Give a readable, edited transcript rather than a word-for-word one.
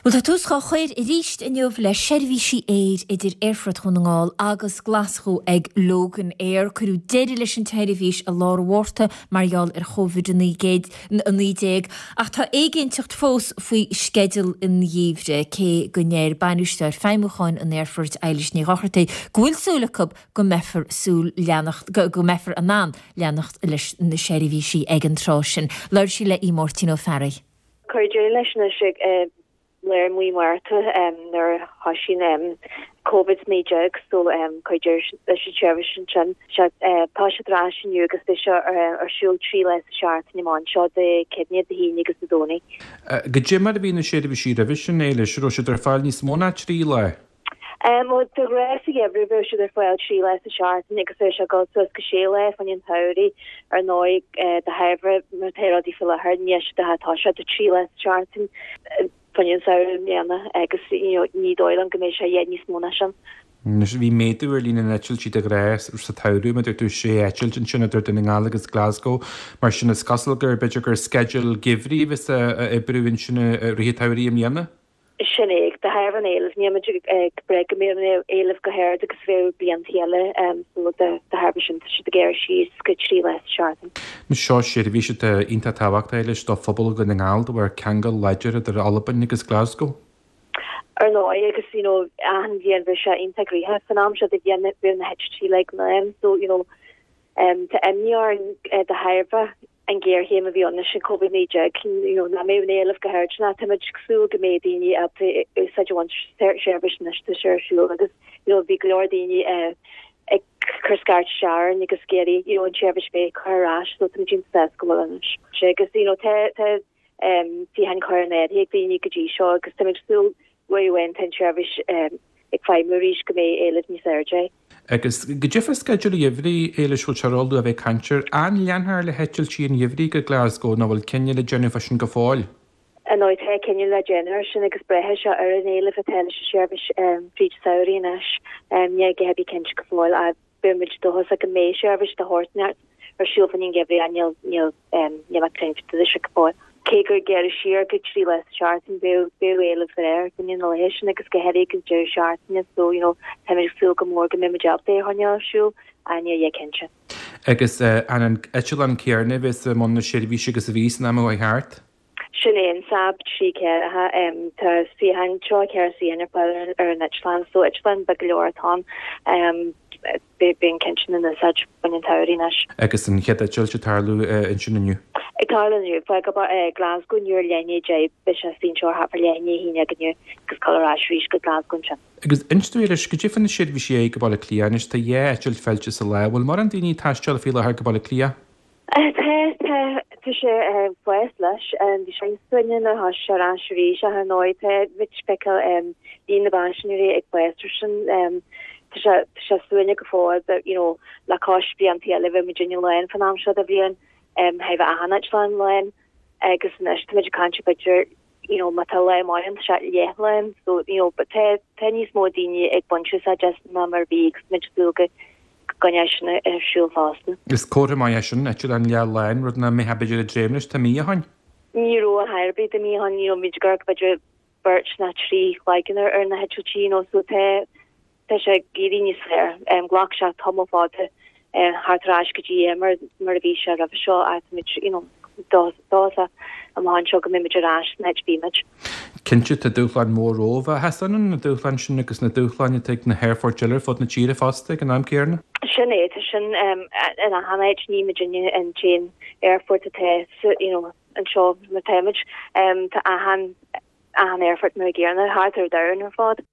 Bhuel, tá tús dhá chur arís inniu le seirbhísí aeir idir Aerfort Dhún na nGall agus Glaschú ag Loganair. Cuireadh deireadh leis an tseirbhís i lár an Mhárta mar gheall ar Covid-19 ach tá éiginnteacht fós faoi sceideal an gheimhridh, cé go ndeir Bainisteoir Feidhmiúcháin an Aerfoirt, Eilish Ní Dhochartaigh, go bhfuil súil acu go mbeifear súil leanacht go mbeifear in ann leanacht leis na seirbhísí ag an tráth sin. Labhair sí le Máirtín Ó Fearraigh. Cuireadh deireadh leis anois ag lár mhí Márta nuair a thosaigh Covid-19 so cuireadh deireadh leis an tseirbhís ansin. Tá siad ar ais inniu agus beidh sé ar siúl 3 lá sa seachtain amach anseo Dé Céadaoine, Dé hAoine agus Dé Domhnaigh. Goidé mar a bhí na seirbhísí roimhe sin, Éilis, raibh siad ar fáil níos mó ná 3 lá? Bhuel, de ghnáth sa gheimhreadh bheadh siad ar fáil 3 lá sa seachtain agus bheadh sé ag dul suas go 6 lá fá choinne an tsamhraidh. Ar ndóigh, de thairbhe mar tá rudaí faoi láthair, níl siad ach ag toiseacht 3 lá sa seachtain fá choinne an samhradh i mbliana agus you know ní dóigh liom go mbeidh sé a dhath níos mó ná sin. Anois, bhí méadú ar líon na n-eitiltí de ghnáth sa tsamhradh, mar a dúirt tú, sé eitilt ansin idir Dún na nGall agus Glasgow. Mar sin, is cosúil gur, b'fhéidir gur sceideal geimhridh a bheas á oibriú ansin i rith an tsamhraidh i mbliana. Sin é, de thairbhe an éilimh, níl muid ag brath go mbeidh an éileamh chomh hard agus a bheadh blianta eile so de thairbhe sin tá siad ag gearradh síos go 3 lá sa seachtain. Anois seo seirbhís atá iontach tábhachtach Éilis do phobal Dhún na nGall de bharr ceangal láidir idir Albain agus Glasgow. Ar ndóigh agus you know achan bhliain bheadh sé iontach gnoitheach san am seo de bhliain bheadh na heitiltí uilig lán so you know tá imní orainn de thairbhe an ghéarchéim a bhí ann leis an Covid-19, you know, nach mbeadh an éileamh chomh hard sin ach táimid ag súil go mbeidh daoine ábalta úsáid a bhaint as seirbhís anois tá sé ar siúl agus you know, bhí go leor daoine ag cur scairt isteach orainn agus ag iarraidh you know, an tseirbhís bheith curtha ar ais so táimid iontach sásta go bhfuil anois. Agus you know, tá tá suíocháin curtha in áirithe ag daoine go dtí seo agus táimid ag súil uair amháin tá an tseirbhís ag feidhmiú arís go mbeidh éileamh níos airde air. Agus goidé fá sceideal an gheimhridh, Éilis, bhfuil sé róluath a bheith ag caint air. An leanfar le heitiltí an gheimhridh go Glasgow nó bhfuil cinneadh le déanamh fá sin go fóill? Ar ndóigh tá cinneadh le déanamh ar sin agus braithfidh sé ar an éileamh atá leis an seirbhís fríd an samhradh anois. Níl a dhath ar bith cinnte go fóill ach beidh muid dóchasach go mbeidh seirbhís de shórt inteacht ar siúl fá choinne an gheimhridh ach níl níl níl mé cinnte de sin go fóill. Cé gur gearradh siar go 3 lá sa seachtain bheadh bheadh éileamh ar fá choinne na laetha sin agus go háirithe ag an deireadh seachtaine so you know táimid ag súil go mór go mbeidh muid ábalta é a choinneáil ar siúl ach níl a dhath cinnte. Agus an an eitleán céanna a bheas i mbun na seirbhíse agus a bhí san am a chuaigh thart? Sin é an Saab 3 4. Tá suíocháin, 34 suíochán ar fáil ar an eitleán, so eitleán beag go leor atá ann. Beidh an ceann sin in úsáid fá choinne an tsamhraidh anois. Agus an chéad eitilt ag tarlú ansin inniu? Ag tarlú inniu. Fágfaidh Glasgow inniu ar leath i ndiaidh 10, beidh sé istigh anseo thart fá leath i ndiaidh 11 inniu agus ag dul ar ais arís go Glasgow ansin. Agus inis dúinn arís, goidé fá na seirbhísí aghaidh go Baile Átha Cliath anois, tá dhá eitilt feilte sa lá, bhfuil mórán daoine ag taisteal faoi láthair go Baile Átha Cliath? Tá, tá, tá sé ag fás leis. Bhí sé suaimhneach nuair a thosaigh sé ar ais arís ach ar ndóigh tá muid ag feiceáil líon na bpaisinéirí ag fás freisin. Tá sé, tá sé suaimhneach go fóill but you know le cois blianta eile bheadh muidinne lán fán am seo de bhliain, bheadh achan eitleán lán agus anois tá muid ag caint b'fhéidir you know má tá lá maith ann tá sé leathlán so you know but tá tá níos mó daoine ag baint úsáid as ná mar a bhí agus muid ag súil go gcoinneoidh sin ar siúl fosta. Is comhartha maith é sin, eitleán leathlán, rud nach mbeifeá b'fhéidir ag dréim leis tá mí ó shoin. Ní raibh a dhath ar bith tá mí ó shoin, you know bhí muid ag amharc b'fhéidir beirt nó trí chloigeann ar ar na heitiltí you know so tá Tá sé ag éirí níos fearr. Ghlac sé tamall fada theacht ar ais go dtí é mar mar a bhí sé roimhe seo ach táimid you know dóchasach amach anseo go mbeidh muid ar ais san áit a bhí muid. Cinnte, tá dúshlán mór romhaibh. Ach is ionann na dúshláin sin agus na dúshláin atá ag na haerfoirt eile ar fud na tíre fosta ag an am céanna. Sin é, tá sin in achan áit, ní muidinne an t-aon aerfort atá you know anseo mar táimid. Tá achan achan aerfort mar an gcéanna thart ar domhan ar fad.